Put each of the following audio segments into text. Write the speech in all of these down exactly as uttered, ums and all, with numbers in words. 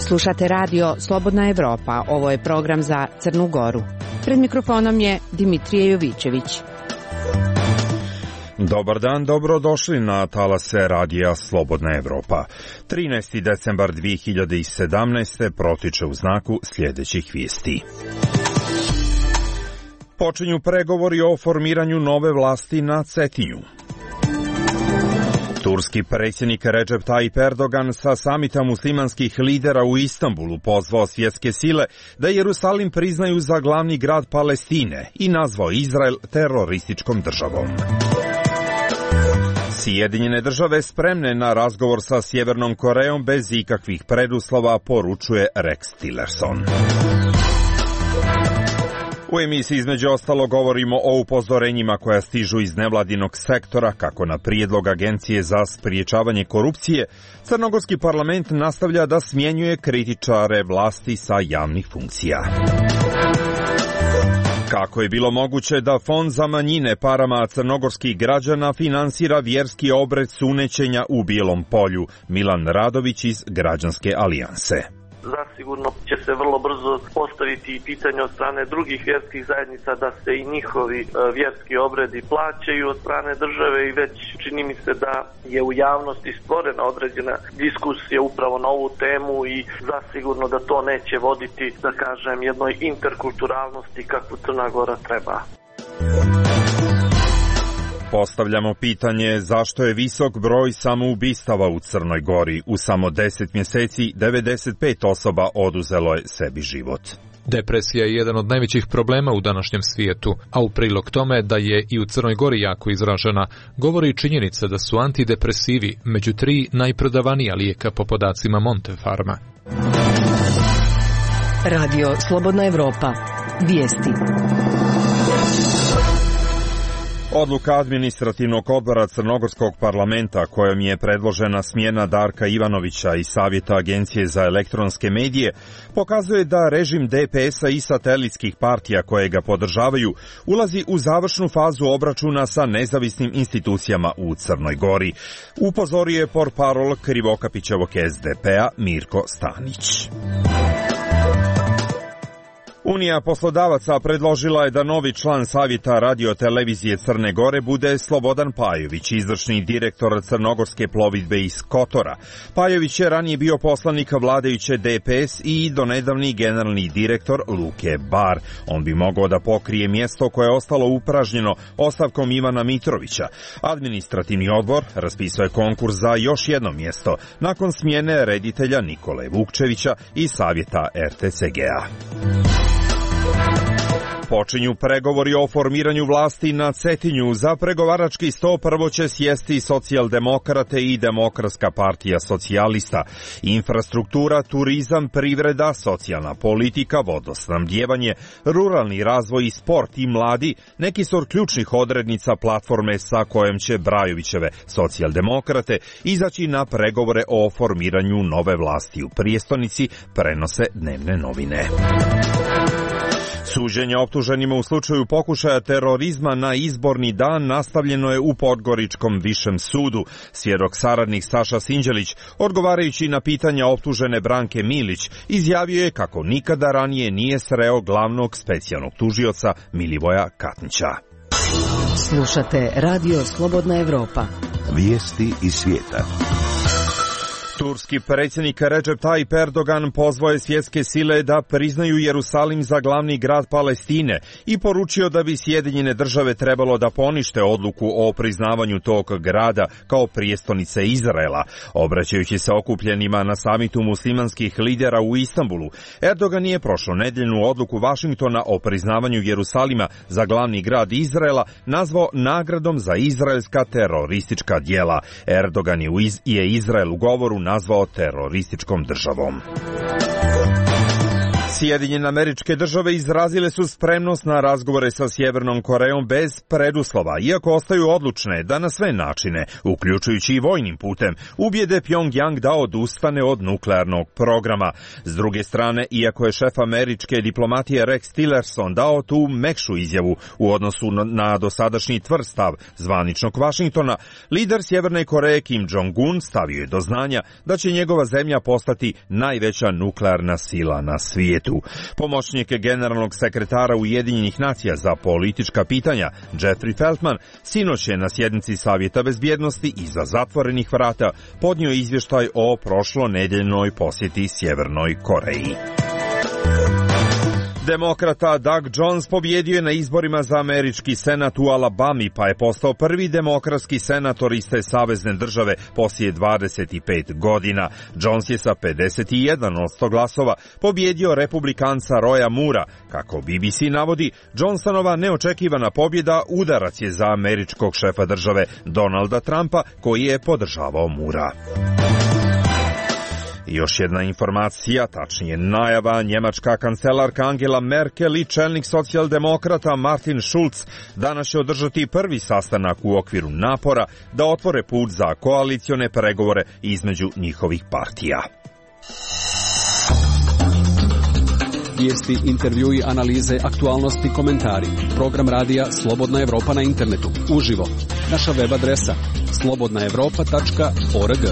Slušate radio Slobodna Evropa, ovo je program za Crnu Goru. Pred mikrofonom je Dimitrije Jovićević. Dobar dan, dobrodošli na talase radija Slobodna Evropa. trinaesti decembar dve hiljade sedamnaeste. protiče u znaku sljedećih vijesti. Počinju pregovori o formiranju nove vlasti na Cetinju. Turski predsjednik Recep Tayyip Erdogan sa samita muslimanskih lidera u Istanbulu pozvao svjetske sile da Jerusalim priznaju za glavni grad Palestine i nazvao Izrael terorističkom državom. Sjedinjene države spremne na razgovor sa Sjevernom Korejom bez ikakvih preduslova, poručuje Rex Tillerson. U emisiji između ostalo govorimo o upozorenjima koja stižu iz nevladinog sektora, kako na prijedlog Agencije za spriječavanje korupcije, crnogorski parlament nastavlja da smjenjuje kritičare vlasti sa javnih funkcija. Kako je bilo moguće da Fond za manjine parama crnogorskih građana finansira vjerski obred sunećenja u Bijelom Polju? Milan Radović iz Građanske alijanse. Zasigurno će se vrlo brzo postaviti i pitanje od strane drugih vjerskih zajednica da se i njihovi vjerski obredi plaćaju od strane države i već čini mi se da je u javnosti stvorena određena diskusija upravo na ovu temu i zasigurno da to neće voditi, da kažem, jednoj interkulturalnosti kakvu Crna Gora treba. Postavljamo pitanje zašto je visok broj samoubistava u Crnoj Gori. U samo deset mjeseci devedeset pet osoba oduzelo je sebi život. Depresija je jedan od najvećih problema u današnjem svijetu, a u prilog tome da je i u Crnoj Gori jako izražena, govori činjenica da su antidepresivi među tri najprodavanija lijeka po podacima Montefarma. Radio Slobodna Evropa. Vijesti. Odluka administrativnog odbora Crnogorskog parlamenta kojom je predložena smjena Darka Ivanovića iz Savjeta Agencije za elektronske medije pokazuje da režim D P S-a i satelitskih partija koje ga podržavaju ulazi u završnu fazu obračuna sa nezavisnim institucijama u Crnoj Gori. Upozorio je portparol Krivokapićevog S D P-a Mirko Stanić. Unija poslodavaca predložila je da novi član Savjeta radiotelevizije Crne Gore bude Slobodan Pajović, izvršni direktor Crnogorske plovidbe iz Kotora. Pajović je ranije bio poslanik vladajuće D P S i donedavni generalni direktor Luke Bar. On bi mogao da pokrije mjesto koje je ostalo upražnjeno ostavkom Ivana Mitrovića. Administrativni odbor raspisao je konkurs za još jedno mjesto nakon smjene reditelja Nikole Vukčevića iz Savjeta R T C G-a. Počinju pregovori o formiranju vlasti na Cetinju. Za pregovarački sto prvo će sjesti socijaldemokrate i Demokratska partija socijalista. Infrastruktura, turizam, privreda, socijalna politika, vodosnabdijevanje, ruralni razvoj i sport i mladi neki su od ključnih odrednica platforme sa kojom će Brajovićeve socijaldemokrate izaći na pregovore o formiranju nove vlasti u prijestolnici, prenose dnevne novine. Suđenje optuženima u slučaju pokušaja terorizma na izborni dan nastavljeno je u Podgoričkom višem sudu. Svjedok saradnik Saša Sinđelić, odgovarajući na pitanja optužene Branke Milić, izjavio je kako nikada ranije nije sreo glavnog specijalnog tužioca Milivoja Katnića. Slušate Radio Slobodna Evropa. Vijesti iz svijeta. Turski predsjednik Recep Tayyip Erdogan pozvao je svjetske sile da priznaju Jerusalim za glavni grad Palestine i poručio da bi Sjedinjene države trebalo da ponište odluku o priznavanju tog grada kao prijestolnice Izraela. Obraćajući se okupljenima na samitu muslimanskih lidera u Istanbulu, Erdogan je prošlonedjeljnu odluku Vašingtona o priznavanju Jerusalima za glavni grad Izraela nazvao nagradom za izraelska teroristička djela. Erdogan je, iz, je Izrael u govoru nazvao terorističkom državom. Sjedinjene Američke Države izrazile su spremnost na razgovore sa Sjevernom Korejom bez preduslova, iako ostaju odlučne da na sve načine, uključujući i vojnim putem, ubijede Pjongjang da odustane od nuklearnog programa. S druge strane, iako je šef američke diplomatije Rex Tillerson dao tu mekšu izjavu u odnosu na dosadašnji tvrd stav zvaničnog Vašingtona, lider Sjeverne Koreje Kim Jong-un stavio je do znanja da će njegova zemlja postati najveća nuklearna sila na svijetu. Pomoćnik generalnog sekretara Ujedinjenih nacija za politička pitanja Jeffrey Feltman sinoć je na sjednici Savjeta bezbjednosti iza zatvorenih vrata podnio izvještaj o prošlonedeljnoj posjeti Sjevernoj Koreji. Demokrata Doug Jones pobjedio je na izborima za američki senat u Alabami, pa je postao prvi demokratski senator iz te savezne države poslije dvadeset pet godina. Jones je sa pedeset jedan posto glasova pobjedio republikanca Roya Moorea. Kako B B C navodi, Johnsonova neočekivana pobjeda udarac je za američkog šefa države Donalda Trumpa, koji je podržavao Moorea. Još jedna informacija, tačnije najava, njemačka kancelarka Angela Merkel i čelnik socijaldemokrata Martin Schulz danas će održati prvi sastanak u okviru napora da otvore put za koalicione pregovore između njihovih partija. Vijesti, intervjui, analize, aktualnosti, komentari. Program radija Slobodna Evropa na internetu. Uživo. Naša web adresa slobodna evropa tačka org.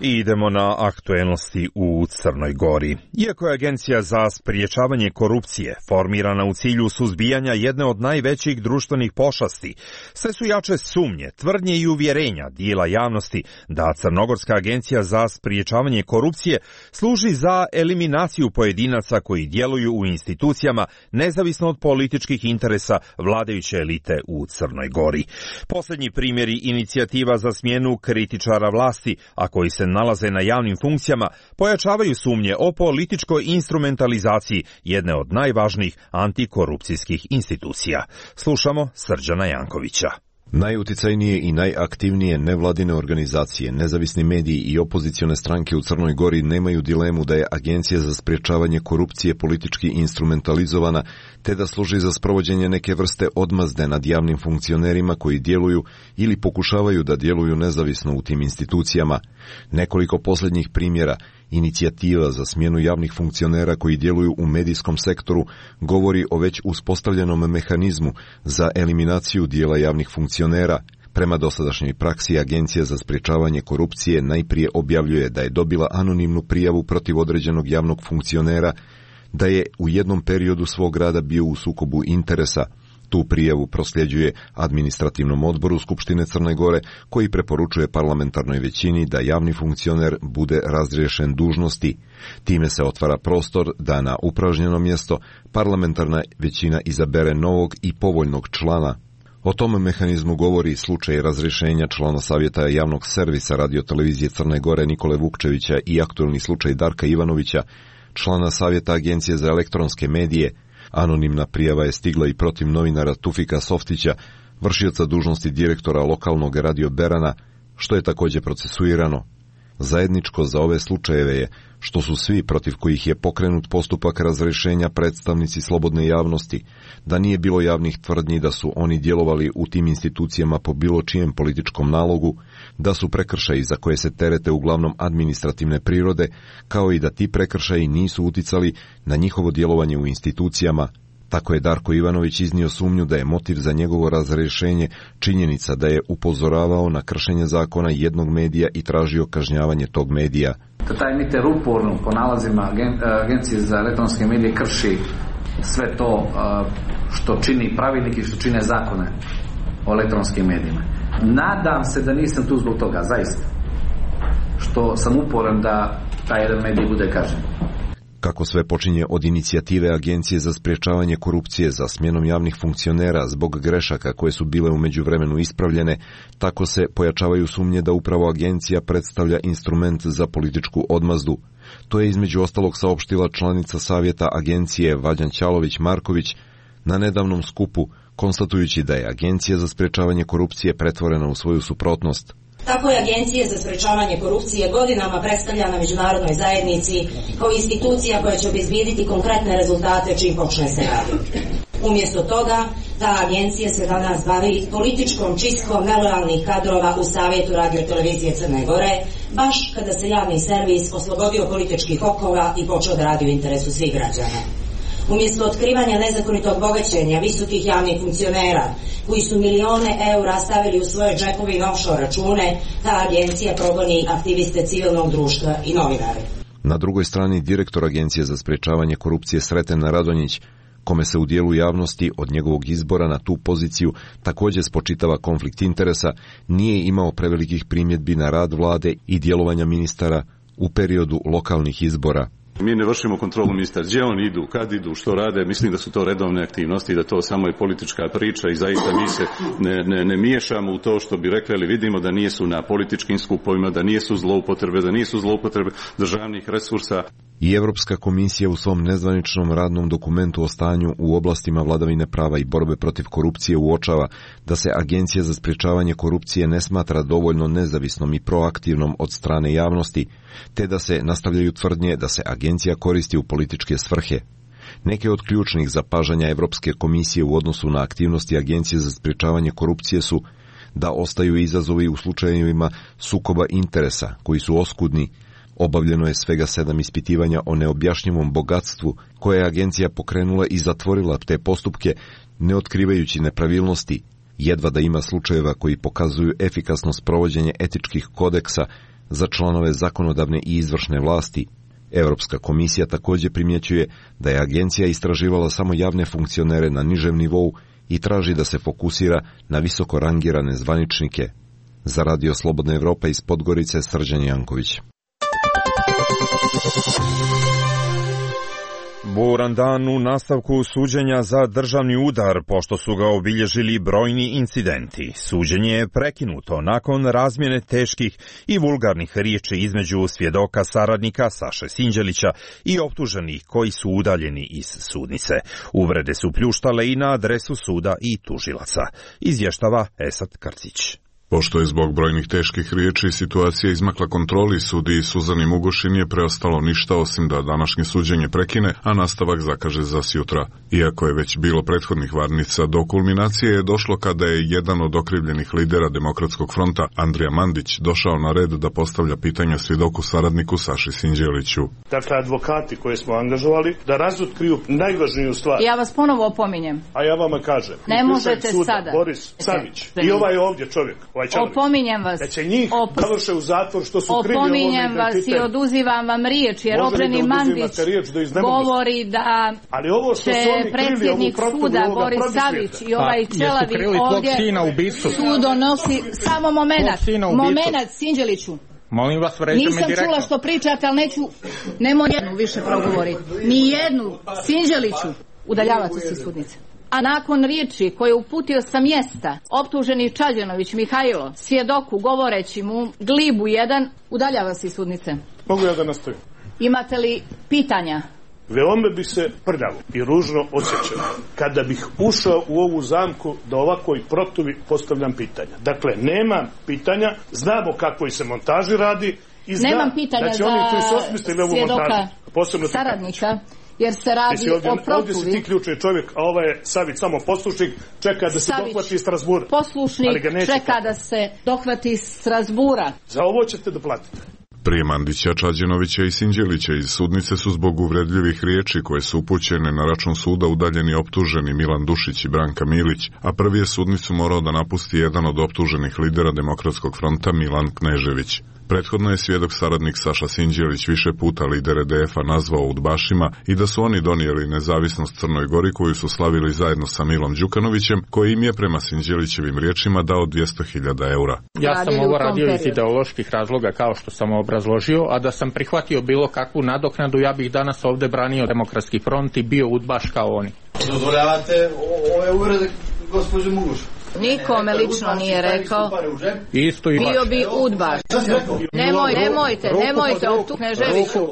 I idemo na aktuelnosti u Crnoj Gori. Iako je Agencija za spriječavanje korupcije formirana u cilju suzbijanja jedne od najvećih društvenih pošasti, sve su jače sumnje, tvrdnje i uvjerenja dijela javnosti da Crnogorska agencija za spriječavanje korupcije služi za eliminaciju pojedinaca koji djeluju u institucijama nezavisno od političkih interesa vladajuće elite u Crnoj Gori. Posljednji primjeri inicijativa za smjenu kritičara vlasti, a koji se nalaze na javnim funkcijama, pojačavaju sumnje o političkoj instrumentalizaciji jedne od najvažnijih antikorupcijskih institucija. Slušamo Srđana Jankovića. Najuticajnije i najaktivnije nevladine organizacije, nezavisni mediji i opozicione stranke u Crnoj Gori nemaju dilemu da je Agencija za sprječavanje korupcije politički instrumentalizovana, te da služi za sprovođenje neke vrste odmazde nad javnim funkcionerima koji djeluju ili pokušavaju da djeluju nezavisno u tim institucijama. Nekoliko posljednjih primjera inicijativa za smjenu javnih funkcionera koji djeluju u medijskom sektoru govori o već uspostavljenom mehanizmu za eliminaciju dijela javnih funkcionera. Prema dosadašnjoj praksi, Agencija za sprječavanje korupcije najprije objavljuje da je dobila anonimnu prijavu protiv određenog javnog funkcionera, da je u jednom periodu svog rada bio u sukobu interesa. Tu prijavu prosljeđuje administrativnom odboru Skupštine Crne Gore, koji preporučuje parlamentarnoj većini da javni funkcioner bude razriješen dužnosti. Time se otvara prostor da na upražnjeno mjesto parlamentarna većina izabere novog i povoljnog člana. O tome mehanizmu govori slučaj razrješenja člana Savjeta javnog servisa radiotelevizije Crne Gore Nikole Vukčevića i aktualni slučaj Darka Ivanovića, člana Savjeta Agencije za elektronske medije. Anonimna prijava je stigla i protiv novinara Tufika Softića, vršioca dužnosti direktora lokalnog radio Berana, što je također procesuirano. Zajedničko za ove slučajeve je što su svi protiv kojih je pokrenut postupak razrješenja predstavnici slobodne javnosti, da nije bilo javnih tvrdnji da su oni djelovali u tim institucijama po bilo čijem političkom nalogu, da su prekršaji za koje se terete uglavnom administrativne prirode, kao i da ti prekršaji nisu uticali na njihovo djelovanje u institucijama. Tako je Darko Ivanović iznio sumnju da je motiv za njegovo razrješenje činjenica da je upozoravao na kršenje zakona jednog medija i tražio kažnjavanje tog medija. Taj emiter uporno po nalazima Agencije za elektronske medije krši sve to što čini pravilnik i što čine zakone o elektronskim medijima. Nadam se da nisam tu zbog toga, zaista, što sam uporan da taj jedan medij bude kažnjen. Kako sve počinje od inicijative Agencije za sprječavanje korupcije za smjenom javnih funkcionera zbog grešaka koje su bile u međuvremenu ispravljene, tako se pojačavaju sumnje da upravo agencija predstavlja instrument za političku odmazdu. To je između ostalog saopštila članica Savjeta Agencije Vađan Ćalović-Marković na nedavnom skupu, konstatujući da je Agencija za sprječavanje korupcije pretvorena u svoju suprotnost. Tako je Agencija za sprečavanje korupcije godinama predstavljana međunarodnoj zajednici kao institucija koja će obezbijediti konkretne rezultate čim počne se raditi. Umjesto toga, ta agencija se danas bavi političkom čistkom nelojalnih kadrova u Savjetu radiotelevizije Crne Gore, baš kada se javni servis oslobodio političkih okova i počeo da radi u interesu svih građana. Umjesto otkrivanja nezakonitog bogaćenja visokih javnih funkcionera koji su milione eura stavili u svoje džepove i na offshore račune, ta agencija progoni aktiviste civilnog društva i novinare. Na drugoj strani direktor Agencije za sprečavanje korupcije Sreten Radonjić, kome se u dijelu javnosti od njegovog izbora na tu poziciju također spočitava konflikt interesa, nije imao prevelikih primjedbi na rad vlade i djelovanja ministara u periodu lokalnih izbora. Mi ne vršimo kontrolu ministra, gdje oni idu, kad idu, što rade, mislim da su to redovne aktivnosti, da to samo je politička priča i zaista mi se ne, ne, ne miješamo u to što bi rekli, ali vidimo da nisu na političkim skupovima, da nisu zloupotrebe, da nisu zloupotrebe državnih resursa. I Europska komisija u svom nezvaničnom radnom dokumentu o stanju u oblastima vladavine prava i borbe protiv korupcije uočava da se Agencija za sprečavanje korupcije ne smatra dovoljno nezavisnom i proaktivnom od strane javnosti, te da se nastavljaju tvrdnje da se agencija koristi u političke svrhe. Neke od ključnih zapažanja Europske komisije u odnosu na aktivnosti Agencije za sprečavanje korupcije su da ostaju izazovi u slučajevima sukoba interesa koji su oskudni. Obavljeno je svega sedam ispitivanja o neobjašnjivom bogatstvu koje je agencija pokrenula i zatvorila te postupke, ne otkrivajući nepravilnosti. Jedva da ima slučajeva koji pokazuju efikasno sprovođenje etičkih kodeksa za članove zakonodavne i izvršne vlasti. Europska komisija također primjećuje da je agencija istraživala samo javne funkcionere na nižem nivou i traži da se fokusira na visoko rangirane zvaničnike. Za Radio Slobodna Evropa iz Podgorice, Srđan Janković. Buran dan u nastavku suđenja za državni udar, pošto su ga obilježili brojni incidenti. Suđenje je prekinuto nakon razmjene teških i vulgarnih riječi između svjedoka saradnika Saše Sinđelića i optuženih koji su udaljeni iz sudnice. Uvrede su pljuštale i na adresu suda i tužilaca, izvještava Esad Krcić. Pošto je zbog brojnih teških riječi situacija izmakla kontroli, sudiji Suzani Mugoši nije preostalo ništa osim da današnje suđenje prekine, a nastavak zakaže za sjutra. Iako je već bilo prethodnih varnica, do kulminacije je došlo kada je jedan od okrivljenih lidera Demokratskog fronta, Andrija Mandić, došao na red da postavlja pitanja svjedoku saradniku Saši Sinđeliću. Dakle, advokati koje smo angažovali da razotkriju najvažniju stvar. Ja vas ponovo opominjem. A ja vama kažem. Ne možete suda, sada. Boris Savić i ovaj ovdje čovjek. Opominjem vas. Da će njih Op... završe u zatvor što su krivi opominjem vas i oduzivam vam riječ, jer opreni Mandić govori da ali ovo što će predsjednik suda Boris Savić i ovaj čelavi ovdje su donosi samo momenat, momenat Sinđeliću. Molim vas, vređite me Nisam direktno. čula što pričate, ali neću, nemoj jednu više progovoriti. Ni jednu, Sinđeliću, udaljavate se iz sudnice. A nakon riječi koje uputio sa mjesta optuženi Čađanović Mihajlo, svjedoku govoreći mu glibu jedan, udaljava se iz sudnice. Mogu ja da nastavim? Imate li pitanja? Veoma bi se prljavo i ružno osjećao kada bih ušao u ovu zamku da ovako i protuvi postavljam pitanja. Dakle, nemam pitanja, znamo kako se montaži radi i znam Nemam pitanja da će oni koji su za osmislili ovu svjedoka montažu, saradnika, jer se radi ovdje, o protuvi. Ovdje si ti ključni čovjek, a ovaj je Savić samo poslušnik, čeka da se Savić, dohvati iz Strasbura. Poslušnik čeka da se dohvati iz Strasbura. Za ovo ćete da platite. Prije Mandića, Čađenovića i Sinđelića iz sudnice su zbog uvredljivih riječi koje su upućene na račun suda udaljeni optuženi Milan Dušić i Branka Milić, a prvi je sudnicu morao da napusti jedan od optuženih lidera Demokratskog fronta Milan Knežević. Prethodno je svjedok saradnik Saša Sinđelić više puta lidere D F-a nazvao udbašima i da su oni donijeli nezavisnost Crnoj Gori koju su slavili zajedno sa Milom Đukanovićem, koji im je prema Sinđelićevim riječima dao dvjesto hiljada eura. Ja sam ovo radio iz ideoloških razloga kao što sam obrazložio, a da sam prihvatio bilo kakvu nadoknadu, ja bih danas ovdje branio Demokratski front i bio udbaš kao oni. Dozvoljavate ove uvrede gospođu Mugušu? Nikome lično nije rekao. Isto i bio bi udbaš. Nemoj, nemojte, nemojte, tu Kneževiću.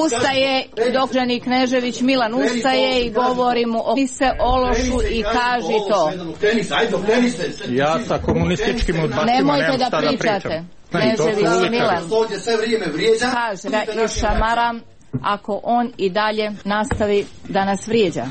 Ustaje doktorani Knežević Milan, ustaje i govori mu o se ološu i kaži to. Ja sa komunističkim udbacima nemojte da pričate. Knežević Milan kaže da i šamaram ako on i dalje nastavi da nas vrijeđa.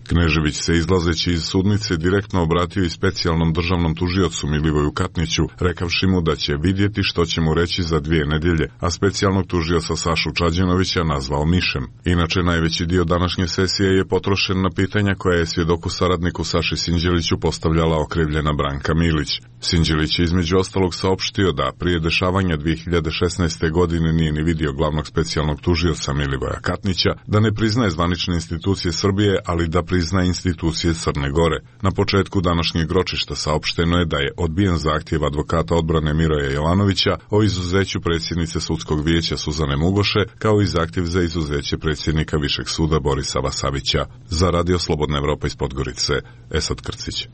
Knežević se izlazeći iz sudnice direktno obratio i specijalnom državnom tužiocu Milivoju Katniću, rekavši mu da će vidjeti što će mu reći za dvije nedjelje, a specijalnog tužioca Sašu Čađenovića nazvao mišem. Inače, najveći dio današnje sesije je potrošen na pitanja koja je svjedoku saradniku Saši Sinđeliću postavljala okrivljena Branka Milić. Sinđelić je između ostalog saopštio da prije dešavanja dvije hiljade šesnaeste. godine nije ni vidio glavnog specijalnog tužioca Milivoja Katnića, da ne priznaje zvanične institucije Srbije, ali da priznaje institucije Crne Gore. Na početku današnjeg ročišta saopšteno je da je odbijen zahtjev advokata odbrane Miroja Jelanovića o izuzeću predsjednice sudskog vijeća Suzane Mugoše, kao i zahtjev za izuzeće predsjednika Višeg suda Borisa Vasavića. Za Radio Slobodna Evropa iz Podgorice, Esad Krcić.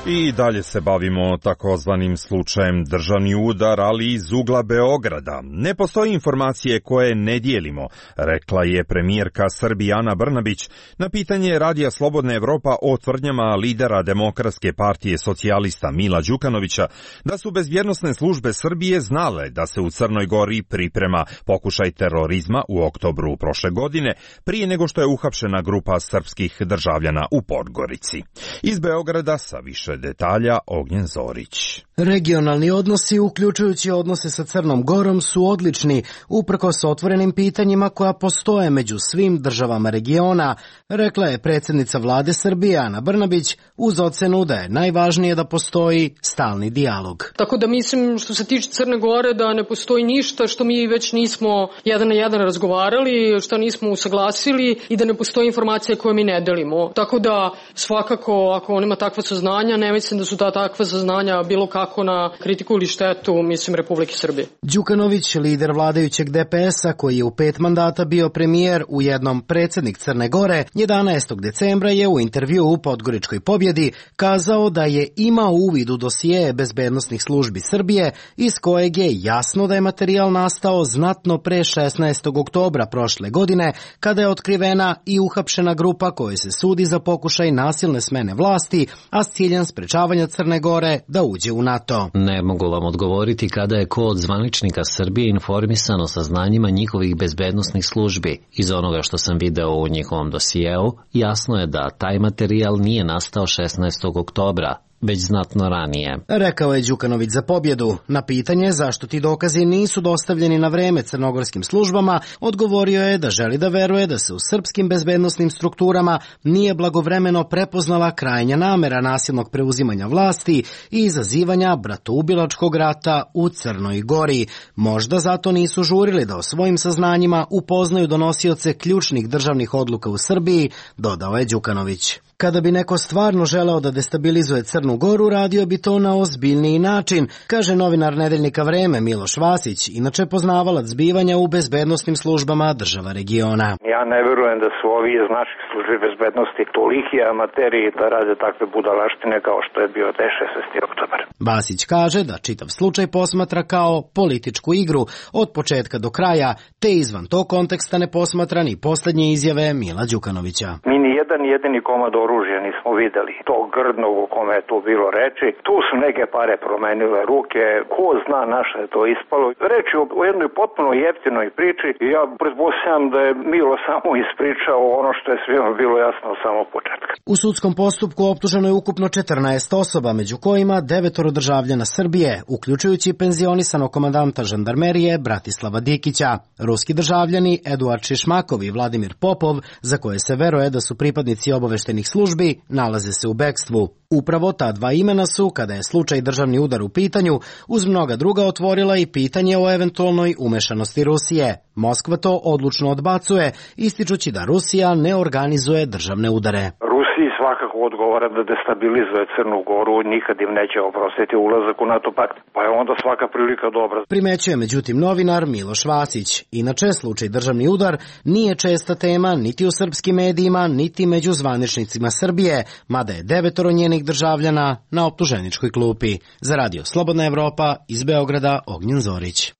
I dalje se bavimo takozvanim slučajem državni udar, ali iz ugla Beograda. Ne postoji informacije koje ne dijelimo, rekla je premijerka Srbije Ana Brnabić na pitanje Radija Slobodna Evropa o tvrdnjama lidera Demokratske partije socijalista Mila Đukanovića da su bezbjednosne službe Srbije znale da se u Crnoj Gori priprema pokušaj terorizma u oktobru prošle godine, prije nego što je uhapšena grupa srpskih državljana u Podgorici. Iz Beograda sa više detalja Ognjen Zorić. Regionalni odnosi, uključujući odnose sa Crnom Gorom, su odlični, uprkos otvorenim pitanjima koja postoje među svim državama regiona, rekla je predsjednica vlade Srbije Ana Brnabić, uz ocenu da je najvažnije da postoji stalni dijalog. Tako da mislim, što se tiče Crne Gore, da ne postoji ništa što mi već nismo jedan na jedan razgovarali, što nismo usaglasili i da ne postoji informacije koje mi ne delimo. Tako da svakako, ako on ima takva saznanja, ne mislim da su ta takva saznanja bilo kako na kritiku ili štetu, mislim, Republike Srbije. Đukanović, lider vladajućeg D P S-a, koji je u pet mandata bio premijer, ujednom predsjednik Crne Gore, jedanaestog decembra je u intervju u Podgoričkoj pobjedi kazao da je imao uvid u dosije bezbednosnih službi Srbije, iz kojeg je jasno da je materijal nastao znatno pre šesnaestog oktobra prošle godine, kada je otkrivena i uhapšena grupa kojoj se sudi za pokušaj nasilne smene vlasti, a s ciljem sprečavanja Crne Gore da uđe u NATO. Ne mogu vam odgovoriti kada je ko od zvaničnika Srbije informisan o saznanjima njihovih bezbednosnih službi. Iz onoga što sam video u njihovom dosijeu, jasno je da taj materijal nije nastao šesnaestog oktobra, već znatno ranije. Rekao je Đukanović za pobjedu. Na pitanje zašto ti dokazi nisu dostavljeni na vreme crnogorskim službama, odgovorio je da želi da veruje da se u srpskim bezbednosnim strukturama nije blagovremeno prepoznala krajnja namera nasilnog preuzimanja vlasti i izazivanja bratoubilačkog rata u Crnoj Gori. Možda zato nisu žurili da o svojim saznanjima upoznaju donosioce ključnih državnih odluka u Srbiji, dodao je Đukanović. Kada bi neko stvarno želeo da destabilizuje Crnu Goru, radio bi to na ozbiljniji način, kaže novinar nedeljnika Vreme Miloš Vasić, inače poznavalac zbivanja u bezbednosnim službama država regiona. Ja ne verujem da su ovi iz naših službi bezbednosti toliki amateri da rade takve budalaštine kao što je bio te šesnaesti oktobar. Vasić kaže da čitav slučaj posmatra kao političku igru od početka do kraja, te izvan tog konteksta ne posmatra ni posljednje izjave Mila Đukanovića. Mi ni jedan jedini komad oružja nismo videli. To grdnog o kome je tu bilo reči. Tu su neke pare promenile ruke. Ko zna na što je to ispalo. Reč je o jednoj potpuno jeftinoj priči. Ja pretpostavljam da je Milo samo ispričao ono što je svima bilo jasno od samog početka. U sudskom postupku optuženo je ukupno četrnaest osoba, među kojima devetoro državljana Srbije, uključujući penzionisanog komandanta žandarmerije Bratislava Dikića. Ruski državljani Eduard Šišmakov i Vladimir Popov, za koje se veruje da su pripadnici obaveštenih službi, nalaze se u bekstvu. Upravo ta dva imena su, kada je slučaj državni udar u pitanju, uz mnoga druga otvorila i pitanje o eventualnoj umešanosti Rusije. Moskva to odlučno odbacuje, ističući da Rusija ne organizuje državne udare. Rusiji svakako odgovara da destabilizuje Crnu Goru, nikad im neće oprostiti ulazak u NATO pakt, pa je onda svaka prilika dobra. Primećuje međutim novinar Miloš Vasić. Inače, slučaj državni udar nije česta tema niti u srpskim medijima, niti među zvaničnicima Srbije, mada je devetoro njenih državljana na optuženičkoj klupi. Za Radio Slobodna Evropa iz Beograda, Ognjen Zorić.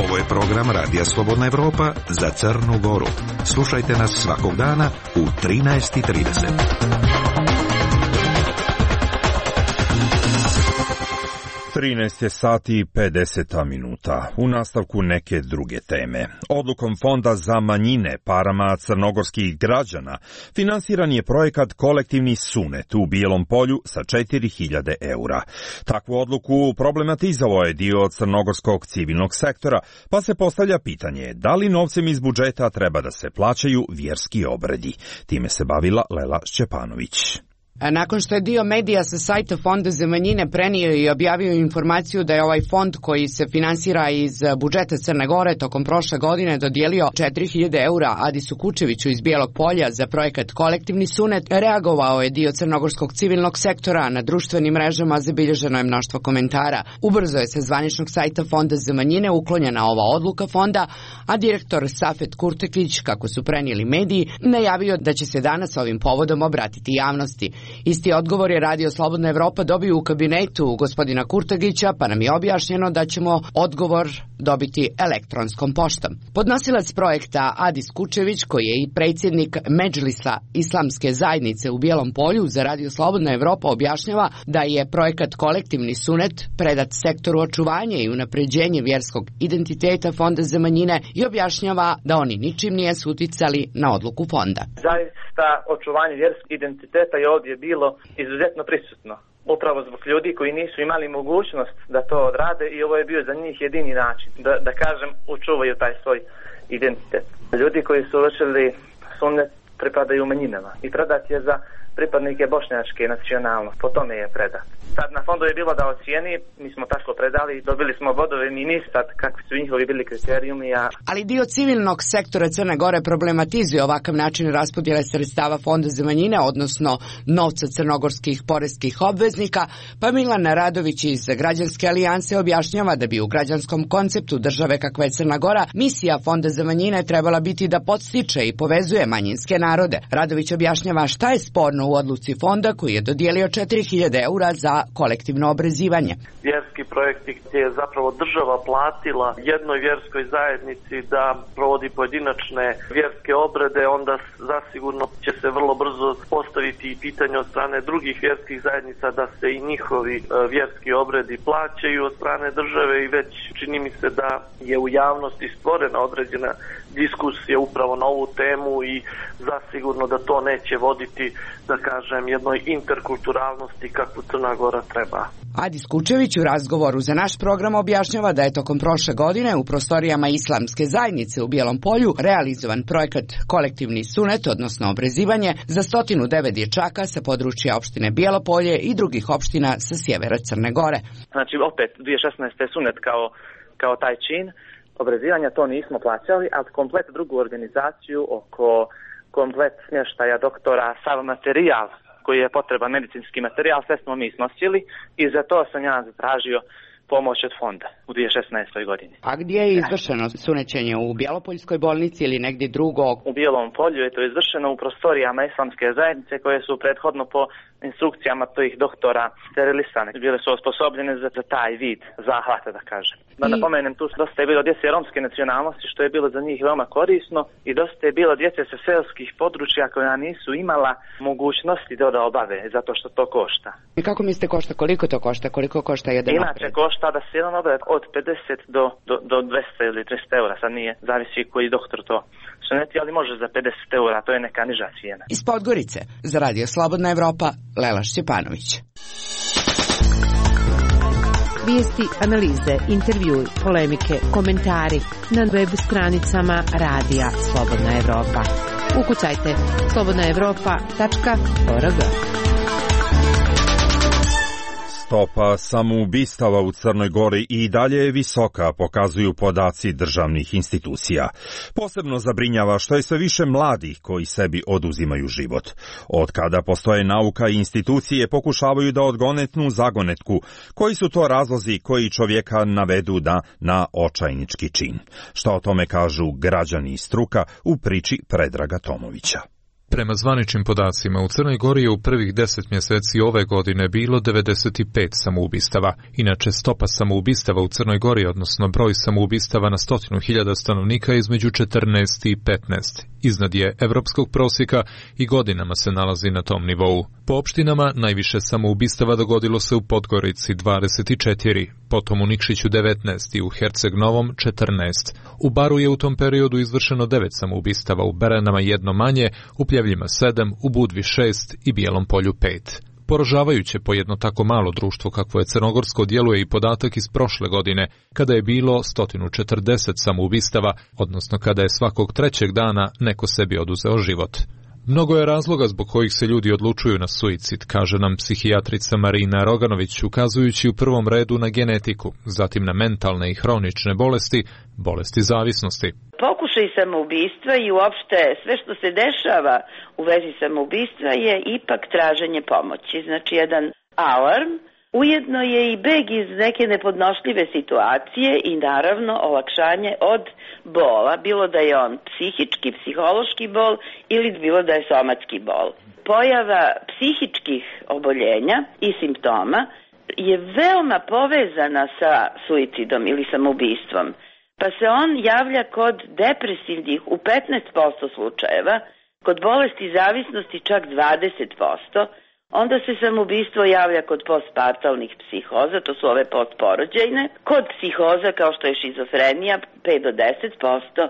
Ovo je program Radija Slobodna Evropa za Crnu Goru. Slušajte nas svakog dana u trinaest i trideset. trinaest je sati i pedeset minuta. U nastavku neke druge teme. Odlukom Fonda za manjine parama crnogorskih građana finansiran je projekat Kolektivni sunet u Bijelom Polju sa četiri hiljade eura. Takvu odluku problematizovao je dio crnogorskog civilnog sektora, pa se postavlja pitanje da li novcem iz budžeta treba da se plaćaju vjerski obredi. Time se bavila Lela Šćepanović. Nakon što je dio medija sa sajta Fonda za manjine prenio i objavio informaciju da je ovaj fond koji se finansira iz budžeta Crne Gore tokom prošle godine dodijelio četiri hiljade eura Adisu Kučeviću iz Bijelog Polja za projekat Kolektivni sunet, reagovao je dio crnogorskog civilnog sektora. Na društvenim mrežama zabilježeno je mnoštvo komentara. Ubrzo je sa zvaničnog sajta Fonda za manjine uklonjena ova odluka fonda, a direktor Safet Kurtekić, kako su prenijeli mediji, najavio da će se danas ovim povodom obratiti javnosti. Isti odgovor je Radio Slobodna Evropa dobio u kabinetu gospodina Kurtagića, pa nam je objašnjeno da ćemo odgovor dobiti elektronskom poštom. Podnosilac projekta Adis Kučević, koji je i predsjednik Medžlisa Islamske zajednice u Bijelom Polju, za Radio Slobodna Evropa objašnjava da je projekat Kolektivni sunet predat sektoru očuvanje i unapređenje vjerskog identiteta Fonda za manjine i objašnjava da oni ničim nije uticali na odluku fonda. Zaista očuvanje vjerskog identiteta je ovdje bilo izuzetno prisutno. Upravo zbog ljudi koji nisu imali mogućnost da to odrade i ovo je bio za njih jedini način da, da kažem, učuvaju taj svoj identitet. Ljudi koji su vršili sunnet pripadaju manjinama i predat je za pripadnike bošnjačke nacionalnosti. Po tome je predat. Sad na fondu je bilo da ocijeni, mi smo tako predali, dobili smo bodove, mi ni sad kakvi su njihovi bili kriterijumi. A... Ali dio civilnog sektora Crne Gore problematizuje ovakav način raspodjele sredstava Fonda za manjine, odnosno novca crnogorskih poreskih obveznika, pa Milan Radović iz Građanske alijanse objašnjava da bi u građanskom konceptu države kakva je Crna Gora misija Fonda za manjine trebala biti da podstiče i povezuje manjinske narode. Radović objašnjava šta je sporno u odluci fonda koji je dodijelio četiri hiljade eura za kolektivno obrezivanje. Vjerski projekti gdje je zapravo država platila jednoj vjerskoj zajednici da provodi pojedinačne vjerske obrede, onda zasigurno će se vrlo brzo postaviti i pitanje od strane drugih vjerskih zajednica da se i njihovi vjerski obredi plaćaju od strane države i već čini mi se da je u javnosti stvorena određena diskusija upravo na ovu temu i zasigurno da to neće voditi, da kažem, jednoj interkulturalnosti kakvu Crna Gora treba. Adis Kučević u razgovoru za naš program objašnjava da je tokom prošle godine u prostorijama Islamske zajednice u Bijelom Polju realizovan projekat Kolektivni sunet, odnosno obrezivanje, za sto devet dječaka sa područja opštine Bijelo Polje i drugih opština sa sjevera Crne Gore. Znači opet dvije tisuće šesnaeste sunet kao, kao taj čin obrezivanja, to nismo plaćali, ali komplet drugu organizaciju oko komplet smještaja doktora, sav materijal koji je potreban, medicinski materijal, sve smo mi snosili i za to sam ja zatražio pomoć od fonda u dvije tisuće šesnaestoj godini. A gdje je izvršeno sunećenje? U Bjelopoljskoj bolnici ili negdje drugo? U Bijelom Polju je to izvršeno u prostorijama Islamske zajednice koje su prethodno po instrukcijama tih doktora sterilisane. Bile su osposobljene za, za taj vid zahvata, da kažem. Da I... napomenem, tu dosta je bilo djece romske nacionalnosti, što je bilo za njih veoma korisno, i dosta je bilo djece sa seoskih područja koja nisu imala mogućnosti da da obave, zato što to košta. I kako mislite košta? Koliko to košta? Koliko košta jedan Inače obred? Košta da se jedan obred od pedeset do, do, do dvesta ili trista eura, sad nije, zavisi koji doktor to suneti, ali može za pedeset eura, to je neka niža cijena. Iz Podgorice, za Radio Slobodna Evropa, Lela Šćepanović. Vijesti, analize, intervjui, polemike, komentari na web stranicama Radija Slobodna Evropa. Ukucajte slobodna evropa tačka org. Stopa samoubistava u Crnoj Gori i dalje je visoka, pokazuju podaci državnih institucija. Posebno zabrinjava što je sve više mladih koji sebi oduzimaju život. Od kada postoje nauka i institucije pokušavaju da odgonetnu zagonetku, koji su to razlozi koji čovjeka navedu da na očajnički čin. Šta o tome kažu građani i struka u priči Predraga Tomovića. Prema zvaničnim podacima, u Crnoj Gori je u prvih deset mjeseci ove godine bilo devedeset pet samoubistava. Inače, stopa samoubistava u Crnoj Gori, odnosno broj samoubistava na stotinu hiljada stanovnika, između četrnaest i petnaest. Iznad je evropskog prosjeka i godinama se nalazi na tom nivou. Po opštinama najviše samoubistava dogodilo se u Podgorici dvadeset četiri, potom u Nikšiću devetnaest i u Herceg Novom četrnaest. U Baru je u tom periodu izvršeno devet samoubistava, u Beranama jedno manje, u Pljevljima sedam, u Budvi šest i Bijelom Polju pet. Poražavajuće po jedno tako malo društvo kakvo je crnogorsko djeluje i podatak iz prošle godine, kada je bilo sto četrdeset samoubistava, odnosno kada je svakog trećeg dana neko sebi oduzeo život. Mnogo je razloga zbog kojih se ljudi odlučuju na suicid, kaže nam psihijatrica Marina Roganović, ukazujući u prvom redu na genetiku, zatim na mentalne i hronične bolesti, bolesti zavisnosti. Pokušaj samoubistva i uopšte sve što se dešava u vezi samoubistva je ipak traženje pomoći. Znači jedan alarm, ujedno je i beg iz neke nepodnošljive situacije i naravno olakšanje od bola, bilo da je on psihički, psihološki bol ili bilo da je somatski bol. Pojava psihičkih oboljenja i simptoma je veoma povezana sa suicidom ili samoubistvom, pa se on javlja kod depresivnih u petnaest posto slučajeva, kod bolesti zavisnosti čak dvadeset posto, onda se samoubistvo javlja kod postpartalnih psihoza, to su ove postporođajne, kod psihoza kao što je šizofrenija pet do deset posto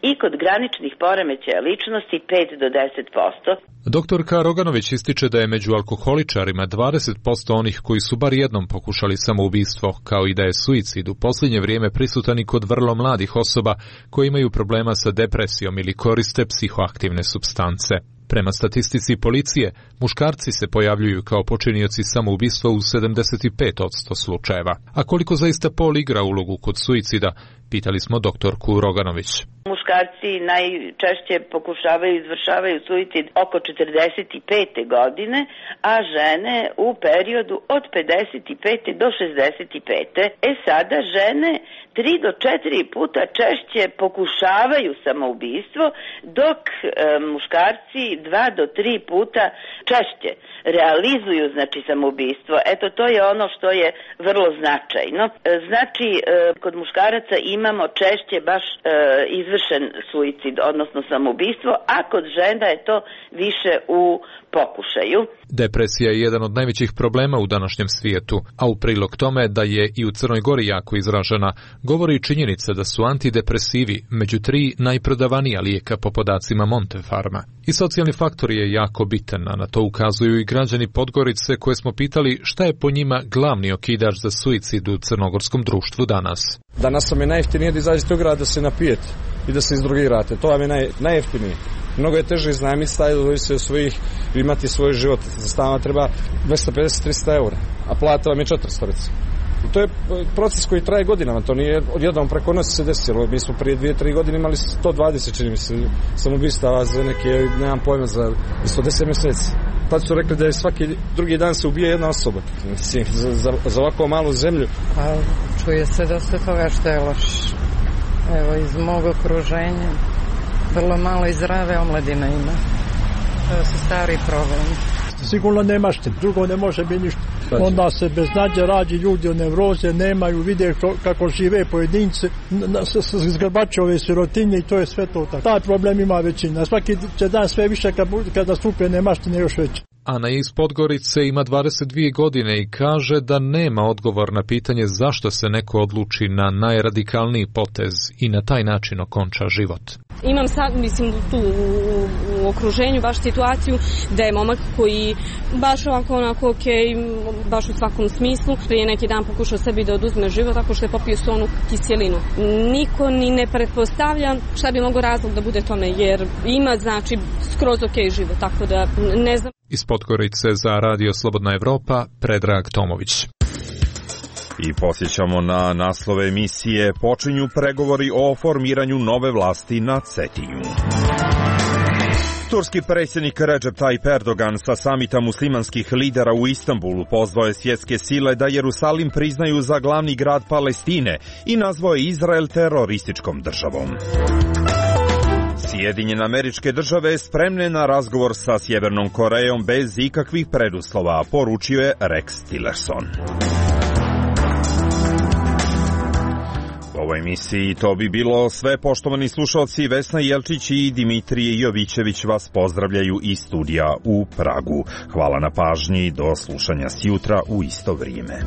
i kod graničnih poremećaja ličnosti pet do deset posto. Doktorka Roganović ističe da je među alkoholičarima dvadeset posto onih koji su bar jednom pokušali samoubistvo, kao i da je suicid u posljednje vrijeme prisutan i kod vrlo mladih osoba koji imaju problema sa depresijom ili koriste psihoaktivne supstance. Prema statistici policije, muškarci se pojavljuju kao počinioci samoubistva u sedamdeset pet posto slučajeva. A koliko zaista pol igra ulogu kod suicida, pitali smo doktorku Roganović. Muškarci najčešće pokušavaju i izvršavaju suicid oko četrdeset pete godine, a žene u periodu od pedeset pete do šezdeset pete. E sada žene tri do četiri puta češće pokušavaju samoubistvo, dok e, muškarci dva do tri puta češće realizuju znači samoubistvo. Eto, to je ono što je vrlo značajno. E, znači, e, kod muškaraca imamo češće baš e, izvršen suicid, odnosno samoubistvo, a kod žena je to više u pokušaju. Depresija je jedan od najvećih problema u današnjem svijetu, a u prilog tome da je i u Crnoj Gori jako izražena, govori činjenica da su antidepresivi među tri najprodavanija lijeka po podacima Montefarma. I socijalni faktor je jako bitan, a na to ukazuju i građani Podgorice koje smo pitali šta je po njima glavni okidač za suicid u crnogorskom društvu danas. Danas vam je najjeftinije da izađete u grad da se napijete i da se izdrogirate. To vam je naj, najjeftinije. Mnogo je teže iznajmiti stan, da se svojih, imati svoj život. Za stan treba dvesta pedeset do trista eura, a plata vam je četiristo. I to je proces koji traje godinama, to nije odjednom preko noći se desilo. Mi smo prije dvije tri godine imali sto dvadeset, čini mi se, samoubistava za neke, nemam pojma, za sto deset mjeseci. Tad su rekli da je svaki drugi dan se ubije jedna osoba. Mislim, za, za, za ovako malu zemlju. Pa, čuje se dosta toga što je loš. Evo, iz mog okruženja vrlo malo i zdrave omladine ima. To su stari problemi. Sigurno nemaš te, drugo ne može biti ništa. Onda se bez nađe rađi ljudi od nevroze, nemaju, vide kako žive pojedinci, zgrbače ove sirotinje i to je sve to tako. Taj problem ima većina, svaki će dan sve više kada stupe nemaštine još veće. Ana iz Podgorice ima dvadeset dvije godine i kaže da nema odgovor na pitanje zašto se neko odluči na najradikalniji potez i na taj način okonča život. Imam sad, mislim, tu u, u okruženju baš situaciju da je momak koji baš ovako onako ok, baš u svakom smislu, prije neki dan pokušao sebi da oduzme život tako što je popio sonu kiselinu. Niko ni ne pretpostavlja šta bi mogo razlog da bude tome, jer ima znači skroz ok život, tako da ne znam. Iz Podgorice za Radio Slobodna Evropa, Predrag Tomović. I posjećamo na naslove emisije. Počinju pregovori o formiranju nove vlasti na Cetinju. Turski predsjednik Recep Tayyip Erdogan sa samita muslimanskih lidera u Istanbulu pozvao je svjetske sile da Jerusalim priznaju za glavni grad Sjedinjene Američke Države spremne na razgovor sa Sjevernom Korejom bez ikakvih preduslova, poručio je Rex Tillerson. U ovoj emisiji to bi bilo sve, poštovani slušalci. Vesna Jelčić i Dimitrije Jovićević vas pozdravljaju iz studija u Pragu. Hvala na pažnji, do slušanja sjutra u isto vrijeme.